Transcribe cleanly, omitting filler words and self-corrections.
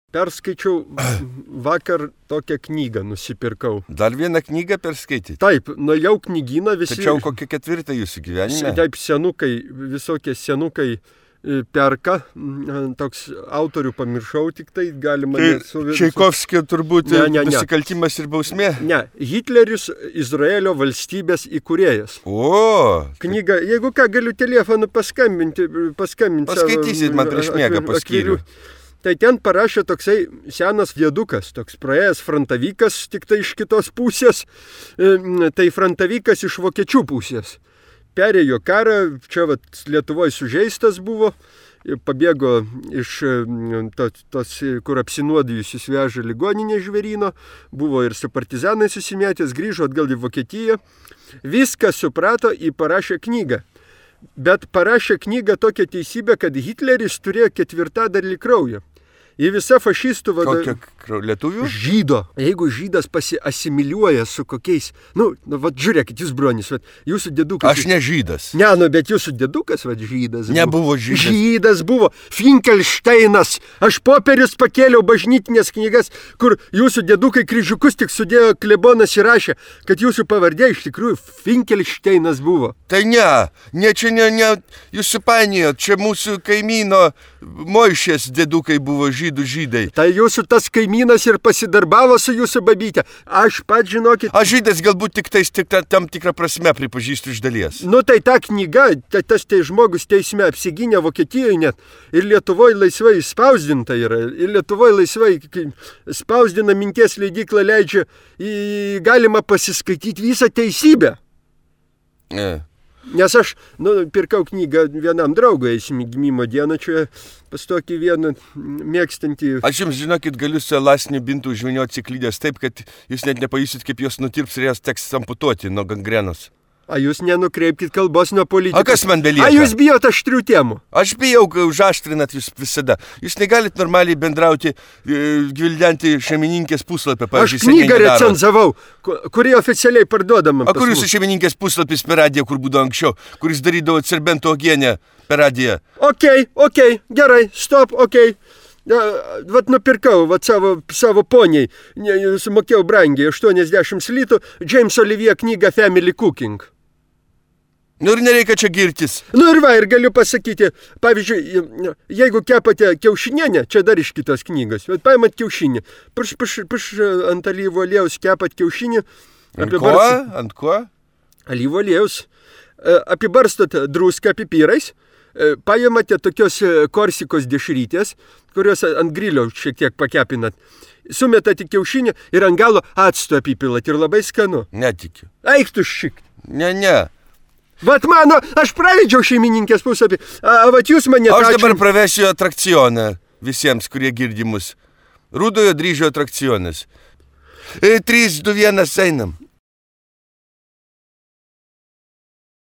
Perskaičiau vakar tokią knygą, nusipirkau. Dar vieną knygą perskaityti? Taip, nuėjau knygyną visi... Tačiau kokia ketvirta jūsų gyvenime? Taip, visokie senukai perka, toks autorių pamiršau, tik tai galima... Čaikovskio turbūt nusikaltimas ir bausmė? Ne, Hitleris Izraelio valstybės įkūrėjas. O! Knyga, jeigu ką, galiu telefonu paskambinti. Paskaitysit man prieš miegą paskyrių. Tai ten parašė toksai senas diedukas, toks praėjęs frontavykas, tik tai iš kitos pusės, tai frontavykas iš vokiečių pusės. Perėjo karą, čia Lietuvoje sužeistas buvo, pabėgo iš tos, kur apsinuodijusius veža ligoninė Žvėryno, buvo ir su partizanai susimėtęs, grįžo atgal į Vokietiją, viską suprato ir parašė knygą. Bet parašė knygą tokią teisybę, kad Hitleris turėjo ketvirtadalį kraujo. Ir visa fašistų Kokio lietuvių? Žydo. Jeigu žydas pasiasimiliuoja su kokiais... žiūrėkit, jūs bronis, jūsų dėdukas... Aš ne žydas. Ne, bet jūsų dėdukas, žydas. Nebuvo žydas. Žydas buvo. Finkelšteinas. Aš popierius pakėliau bažnytinės knygas, kur jūsų dėdukai kryžiukus tik sudėjo, klebonas įrašė, kad jūsų pavardė iš tikrųjų Finkelšteinas buvo. Tai ne, čia ne, jūs supainijot, čia mūsų kaimyno Moišės dėdukai buvo žydai. Tai jūsų tas kaimynas ir pasidarbavo su jūsų babytė. Aš pat žinokit... Aš žydas galbūt tik tam tikrą prasme pripažįstu iš dalies. Tai ta knyga, tas žmogus teisme apsigynė Vokietijoje net. Ir Lietuvoje laisvai spausdinta yra. Ir Lietuvoje laisvai spausdina minties leidykla leidžia. Galima pasiskaityti visą teisybę. Nes aš pirkau knygą vienam draugui, gimimo dieną, čia pas tokį vieną mėgstantį. Aš jums, žinokit, galiu su elastiniu bintu užvinioti ciklydės taip, kad jūs net nepajusit, kaip jos nutirps ir jas teks amputuoti nuo gangrenos. Jūs nenukreipkit kalbos nuo politikos. Kas man belieka? Jūs bijot aštrių temų? Aš bijau, užaštrinat jūs visada. Jūs negalit normaliai bendrauti, gvildenti šeimininkės puslapį. Aš knygą recenzavau, kuri oficialiai parduodama. Kur jūsų šeimininkės puslapis per radiją, kur būdavo anksčiau, kuris darydavo Serbento uogienę per radiją? Okei, gerai, stop, okei. Nupirkau savo poniai, sumokėjau brangiai, 80 litų, James Olivier knygą Family Cooking. Ir nereikia čia girtis. Ir galiu pasakyti, pavyzdžiui, jeigu kepate kiaušinienę, čia dar iš kitos knygos, bet paimat kiaušinį, prieš ant alyvų aliejaus kepat kiaušinį. Ant ko? Alyvų aliejaus. Apibarstot druską pipyrais, paimate tokios korsikos dešrytės, kurios ant grilio šiek tiek pakepinat. Sumetate kiaušinį ir ant galo acto apipilat ir labai skanu. Netikiu. Eik tu šik. Ne. Aš praleidžiau šeimininkės puslapį, jūs mane... Aš dabar pravesiu atrakcioną visiems, kurie girdi mus. Rudojo dryžio atrakcionas. 3, 2, 1, einam.